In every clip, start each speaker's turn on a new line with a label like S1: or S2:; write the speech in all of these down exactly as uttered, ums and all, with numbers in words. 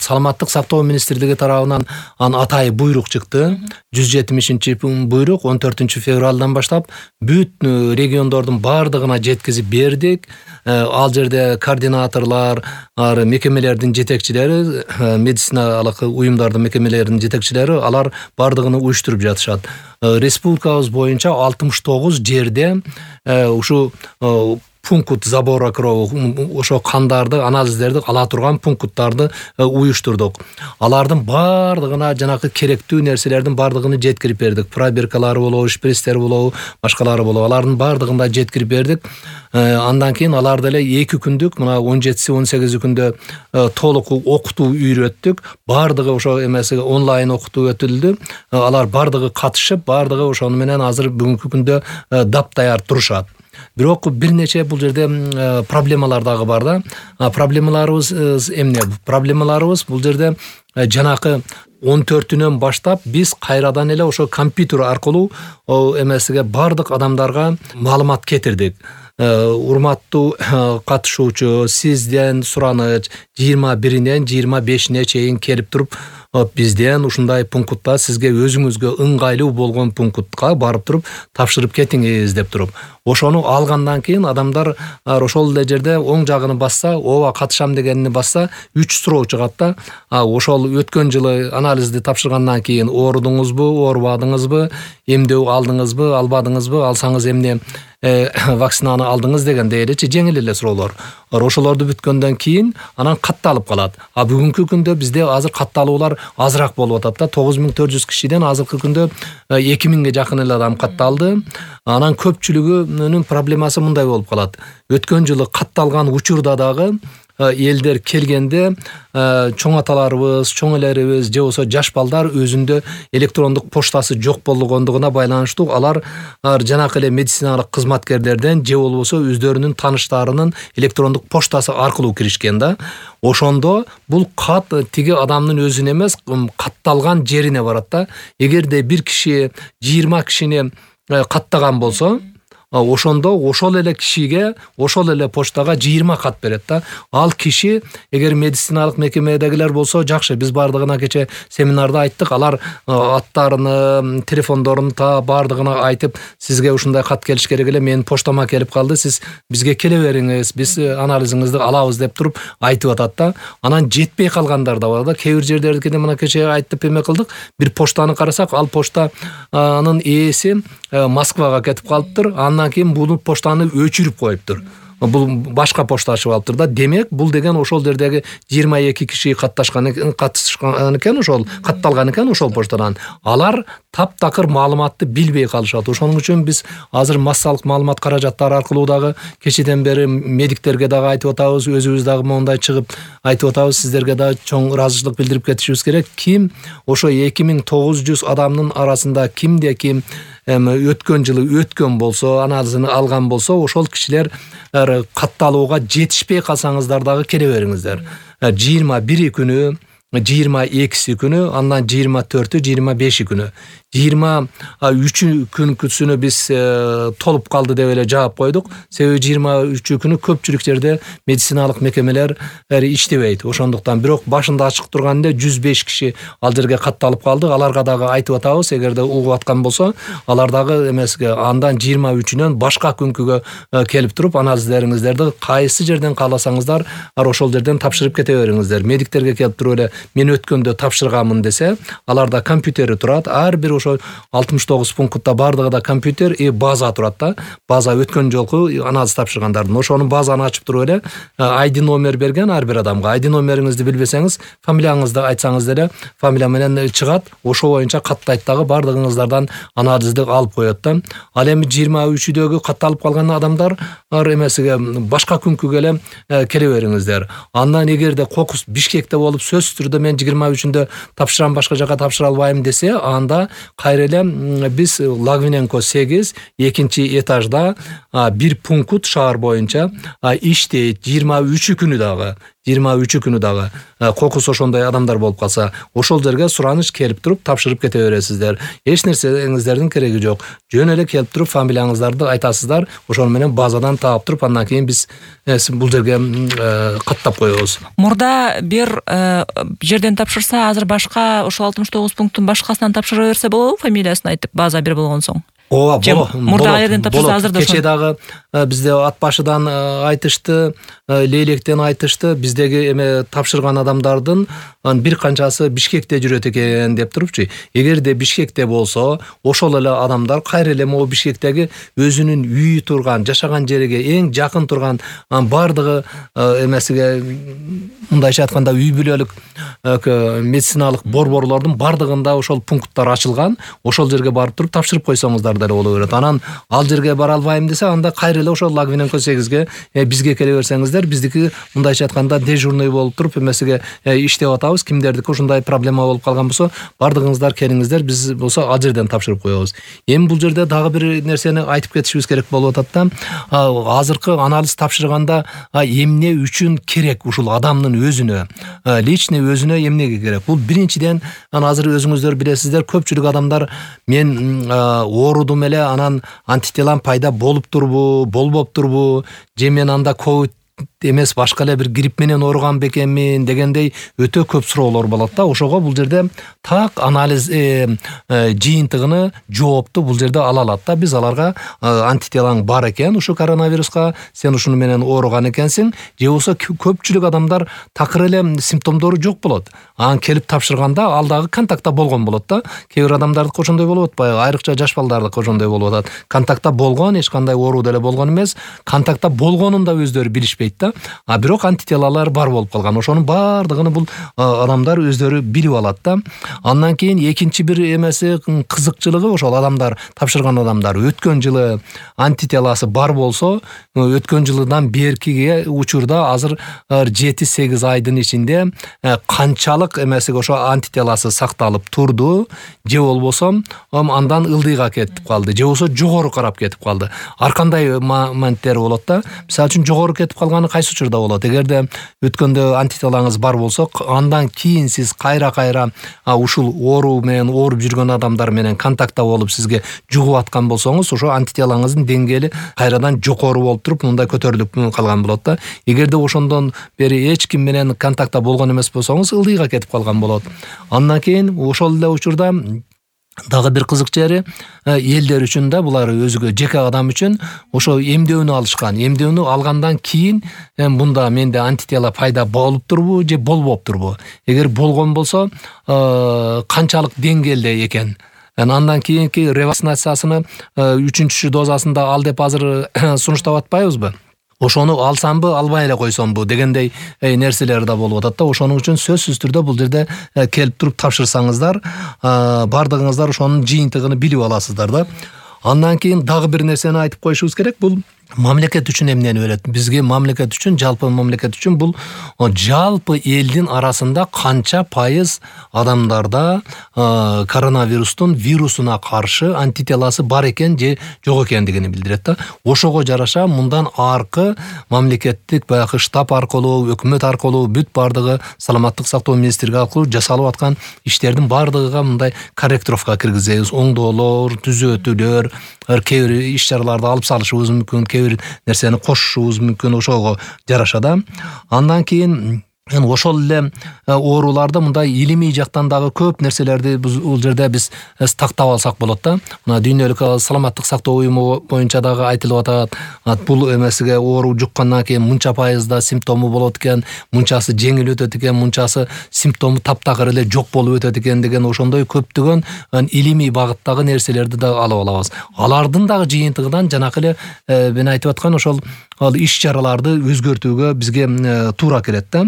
S1: саламаттык сактоо министрлиги тарабынан анын атайы буйрук чыкты. жүз жетимишинчи буйрук он төртүнчү февралдан баштап бүт региондордун бардыгына жеткизип бердик. Ал жерде координаторлор, мекемелердин жетекчилери, медициналык уюмдардын мекемелеринин жетекчилери алар бардыгын уюштуруп жатышат. Республикабыз боюнча алтымыш тогуз жерде ушу пункт забора крови, ошо кандарды, анализдерди ала турган пункттарды уюштурдук. Алардын бардыгына жанагы керектүү нерселердин бардыгын жеткирип бердик. Пробиркалары болобу, шприцтер болобу, башкалары болобу, алардын бардыгын да жеткирип бердик. Андан кийин алар деле эки күндүк, мына он жетиси он сегизи күндө толук окутуу үйрөттүк. Бардыгы ошо эмеси онлайн окутуу өтүлдү. Алар бардыгы катышып, бардыгы ошону менен азыр бүгүнкү күндө дапдаяр турушат. Бирок бир нече бул жерде проблемалар дагы бар да. Проблемаларыбыз эмне? Проблемаларыбыз бул жерде жанакы он төртүнөн баштап биз кайрадан эле ошо компьютер аркылуу эмесиге бардык адамдарга маалымат кетирдик. Урматтуу катышуучу, сизден сураныч жыйырма биринен жыйырма бешине чейин келип туруп, бизден ушундай пунктта сизге өзүңүзгө ыңгайлуу болгон пунктка барып туруп тапшырып кетиңиз деп туруп. Ошону алгандан кийин адамдар ошол эле жерде оң жагын басса, ооба катышам дегенини басса, үч суроо чыгат да. Ошол өткөн жылы анализди тапшыргандан кийин оорудуңузбу, оорубадыңызбы, эмдөө алдыңызбы, албадыңызбы, алсаңыз эмне вакцинаны алдыңыз дегендей элечи жеңил эле суроолор. Ошолорду бүткөндөн кийин анан катталып калат. А бүгүнкү күндө бизде азыр катталуулар азыраак болуп атат да. тогуз миң төрт жүз кишиден азыркы күндө эки миңге жакын эле адам катталды. Анан көпчүлүгүнүн проблемасы мындай болуп калат. Өткөн жылы катталган учурда дагы элдер келгенде чоң аталарыбыз, чоң элерибиз же болсо жаш балдар өзүндө электрондук поштасы жок болгондугуна байланыштуу алар жанакы эле медициналык кызматкерлерден же болбосо өздөрүнүн тааныштарынын электрондук поштасы аркылуу киришкен да. Ошондо бул кат тиги адамдын өзүнө эмес, катталган жерине барат да. Эгерде бир киши жыйырма кишини каттаган болсо, ошондо ошол эле кишиге, ошол эле поштага жыйырма кат берет да. Ал киши эгер медициналык мекемедегилер болсо жакшы, биз бардыгына кече семинарда айттык, алар аттарыны, телефондорун та бардыгына айтып, сизге ушундай кат келиш керек эле, менин поштама келип калды, сиз бизге келе бериңиз, биз анализиңизди алабыз деп туруп айтып атат да. Анан жетпей калгандар да бар да. Кээ бир жерлердикине мына кече айтып эме кылдык, бир поштаны карасак, ал поштанын ээси Москвага кетип калыптыр. Андан кийин бул поштаны өчүрүп коюптур. Бул башка почта ачып алыптыр да. Демек, бул деген ошол жердеги жыйырма эки киши катташкан катышкан экен, ошол катталган экен ошол поштадан. Алар таптакыр маалыматты билбей калышат. Ошоның үчүн биз азыр массалык маалымат каражаттары аркылуу дагы кечеден бери медиктерге дагы айтып атабыз, өзүбүз дагы моундай чыгып айтып атабыз, сиздерге дагы чоң ыраазычылык билдирип кетишибиз керек. Ким ошо эки миң тогуз жүз адамдын арасында кимде ким өткөн жылы өткөн болсо, анализин алган болсо, ошол кишилер катталууга жетишпей калсаңыздар дагы келе бериңиздер. жыйырма бири күнү, жыйырма экиси күнү, андан жыйырма төртү, жыйырма беши күнү. жыйырма үчү күнкүсүнө биз толуп калды деп эле жаап койдук. Себеби жыйырма үчү күнү көпчүлүк жерде медициналык мекемелер иштебейт. Ошондуктан бирок башында ачык турганда жүз беш киши ал жерге катталып калды. Аларга дагы айтып атабыз, эгерде угуп аткан болсо, алар дагы эмеске андан жыйырма үчүнөн башка күнкүгө келип туруп анализдериңиздерди кайсы жерден кааласаңыздар ошол жерден тапшырып кете бериңиздер. Медиктерге келип туруп эле мен өткөндө тапшырганмын десе, аларда компьютери турат. Ар бир ошо алтымыш тогуз пунктта бардыгында компьютер и база турат да. База өткөн жолку анализ тапшыргандардын. Ошону базаны ачып туруп эле ай ди номер берген ар бир адамга. ай ди номериңизди билбесеңиз, фамилияңызды айтсаңыз деле фамилия менен чыгат. Ошо боюнча каттайт дагы бардыгыңыздардан анализди алып коет да. Ал эми жыйырма үчүдөгү катталып калган адамдар эмесиге башка күнкүгө эле келе бериңиздер. Андан эгерде кокус Бишкекте болуп сөзсүз түрдө мен жыйырма үчүндө тапшырам, башка жака тапшыра албайм десе, анда кайра эле биз Лагвиненко сегиз экинчи этажда бир пункт шаар боюнча иштейт. жыйырма үчү күнү дагы жыйырма үчү күнү дагы кокус ошондой адамдар болуп калса, ошол жерге сураныч келип туруп тапшырып кете бересиздер. Эч нерсеңиздердин кереги жок. Жөн эле келип туруп фамилияңыздарды айтасыздар, ошол менен базадан таап туруп, андан кийин биз бул жерге каттап коебуз.
S2: Мурда бир жерден тапшырса, азыр башка ошол алтымыш тогуз пункттун башкасынан тапшыра берсе болобу, фамилиясын айтып, база бир болгон соң?
S1: Ооба, болот.
S2: Мурда жерден тапшырса, азыр да
S1: кече дагы бизде ат башыдан айтышты, Лейлектен айтышты, биздеги эме тапшырган адамдардын бир канчасы Бишкекте жүрөт экен деп турупчу. Эгерде Бишкекте болсо, ошол эле адамдар кайра эле могу Бишкектеги өзүнүн үйү турган, жашаган жериге эң жакын турган бардыгы эмесиге, мындайча айтканда, үй бүлөлүк медициналык борборлордун бардыгында ошол пункттар ачылган. Ошол жерге барып туруп тапшырып койсоңуздар деле боло берет. Анан ал жерге бара албайм десе, анда кайра эле ошол Лагвиненко сегизге бизге келе берсеңиздер, биздики мындайча айтканда дежурный болуп туруп эмесиге иштеп атабыз. Кимдердики ушундай проблема болуп калган болсо, бардыгыңыздар келиңиздер, биз болсо ал жерден тапшырып коебуз. Эми бул жерде дагы бир нерсени айтып кетишибиз керек болуп атат да. Азыркы анализ тапшырганда эмне үчүн керек ушул адамдын өзүнө, личный өзүнө эмнеге керек? Бул биринчиден, азыр өзүңүздөр билесиздер, көпчүлүк адамдар мен оорудум эле, анан антителам пайда болуп турбу, болбоптурбу, же мен анда ковид эмес башка эле бир грипп менен ооруган бекенмин дегендей өтө көп суроолор болот да. Ошого бул жерде так анализ жыйынтыгыны, жоопту бул жерде ала алат да. Биз аларга антителаң бар экен ушу коронавируска, сен ушуну менен ооруган экенсиң, же болсо көпчүлүк адамдар такыр эле симптомдору жок болот. Анан келип тапшырганда ал дагы контактта болгон болот да. Кээ бир адамдардыкы ошондой болуп атпайбы? Айрыкча жаш балдардыкы ошондой болуп атат. Контактта болгон, эч кандай оору деле болгон эмес, контактта болгонун да өздөрү билишпейт да. А бирок антителалар бар болуп калган. Ошонун бардыгын бул адамдар өздөрү билип алат да. Андан кийин экинчи бир эмеси, кызыкчылыгы, ошол адамдар, тапшырган адамдар өткөн жылы антителасы бар болсо, өткөн жылдан беркиге учурда азыр жети сегиз айдын ичинде канчалык эмесиге ошо антителасы сакталып турду, же болбосо андан ылдыйга кетип калды, же болбосо жогору карап кетип калды. Ар кандай моменттер болот да. Мисалы үчүн жогору кетип калганы кайсы учурда болот? Эгерде өткөндө антителаңыз бар болсо, андан кийин сиз кайра-кайра ушул оору менен ооруп жүргөн адамдар менен контактта болуп сизге жугуп аткан болсоңуз, ошо антителаңыздын деңгээли кайрадан жокору болуп туруп, мындай көтөрүлүп калган болот да. Эгерде ошондон бери эч ким менен контактта болгон эмес болсоңуз, ылдыйга кетип калган болот. Андан кийин ошол эле учурда дагы бир кызык жери, элдер үчүн да, булар өзүгө жеке адам үчүн ошо эмдөөнү алышкан. Эмдөөнү алгандан кийин мында менде антитела пайда болуп турбу же болбоптурбу? Эгер болгон болсо, канчалык деңгээлде экен? Андан кийинки ревакцинациясыны үчүнчү дозасында ал деп азыр сунуштап атпайбызбы? Ошону алсамбы, албай эле койсомбу дегендей нерселер да болуп атат да. Ошонун үчүн сөзсүз түрдө бул жерде келип туруп тапшырсаңыздар, бардыгыңыздар ошонун жыйынтыгын билип аласыздар да. Андан кийин дагы бир нерсени айтып коюшубуз керек. Бул мамлекет үчүн эмнени берет? Бизге мамлекет үчүн, жалпы мамлекет үчүн бул жалпы элдин арасында канча пайыз адамдарда коронавирустун вирусуна каршы антителасы бар экен же жок экендигини билдирет да. Ошого жараша мындан аркы мамлекеттик баягы штаб аркылуу, өкмөт аркылуу, бүт бардыгы саламаттык сактоо министрлиги аркылуу жасалып аткан иштердин бардыгыга мындай корректировка киргизебиз. Оңдоолор, түзөтүүлөр, кээ бир иш-чараларды алып салышыбыз мүмкүн, кээ бир нерсени кошушубуз мүмкүн, ошого жараша да. Андан кийин ошол эле ооруларды мындай илимий жактан дагы көп нерселерди бул жерде биз тактап алсак болот да. Мына дүйнөлүк саламаттык сактоо уюму боюнча дагы айтылып атат. Бул эмесиге оору жуккандан кийин мынча пайызда симптому болот экен, мынчасы жеңил өтөт экен, мынчасы симптому таптакыр эле жок болуп өтөт экен деген ошондой көптөгөн илимий багыттагы нерселерди дагы алып алабыз. Алардын дагы жыйынтыгынан жанакы эле мен айтып аткан ошол иш-чараларды өзгөртүүгө бизге туура келет да.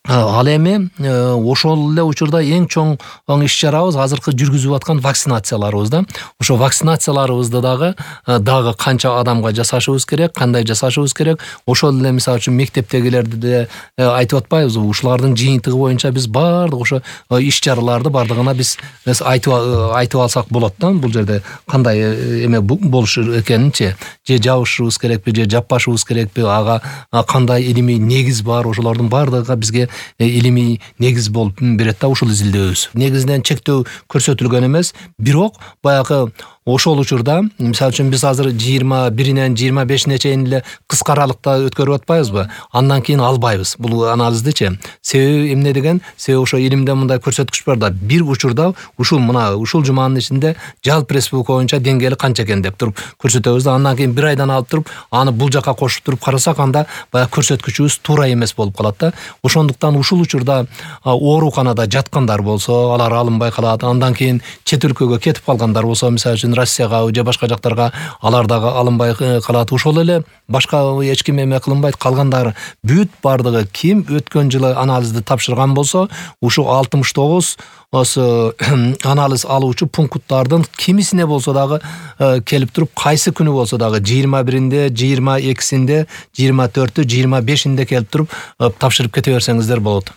S1: Ал эми ошол эле учурда эң чоң иш чарабыз азыркы жүргүзүп аткан вакцинацияларыбыз да. Ошо вакцинацияларыбызды дагы дагы канча адамга жасашыбыз керек, кандай жасашыбыз керек. Ошол эле мисалы үчүн мектептегилерди да айтып атпайбызбы? Ушулардын жыйынтыгы боюнча биз баардык ошо иш чараларды бардыгына биз айтып айтып алсак болот да. Бул жерде кандай эме болушу экенинчи, же жабышыбыз керекпи, же жаппашыбыз керекпи, ага кандай илимий негиз бар, ошолордун баардыгы бизге илимий негиз болуп берет да ушул изилдөөбүз. Негизинен чектөө көрсөтүлгөн эмес, бирок баягы ошол учурда мисалы үчүн биз азыр жыйырма биринен жыйырма бешине чейин эле кыска аралыкта өткөрүп атпайбызбы? Андан кийин албайбыз бул анализдичи. Себеби эмне деген? Себеби ошо илимде мындай көрсөткүч бар да, бир учурда ушул мына ушул жуманын ичинде жалпы республика боюнча деңгээли канча экен деп туруп көрсөтөбүз да, андан кийин бир айдан алып туруп аны бул жака кошуп туруп карасак, анда баягы көрсөткүчүбүз туура эмес болуп калат да. Ошондуктан ушул учурда ооруканада жаткандар болсо, алар алынбай калат. Андан кийин чет өлкөгө кетип калгандар болсо, мисалы үчүн Россияга же башка жактарга, алар дагы алынбай калат. Ошол эле башка эч ким эме кылынбайт, калгандары бүт бардыгы ким өткөн жылы анализди тапшырган болсо, ушу алтымыш тогуз осы анализ алуучу пункттардын кимисине болсо дагы келип туруп, кайсы күнү болсо дагы жыйырма биринде, жыйырма экисинде, жыйырма төртү, жыйырма бешинде келип туруп тапшырып кете берсеңиздер болот.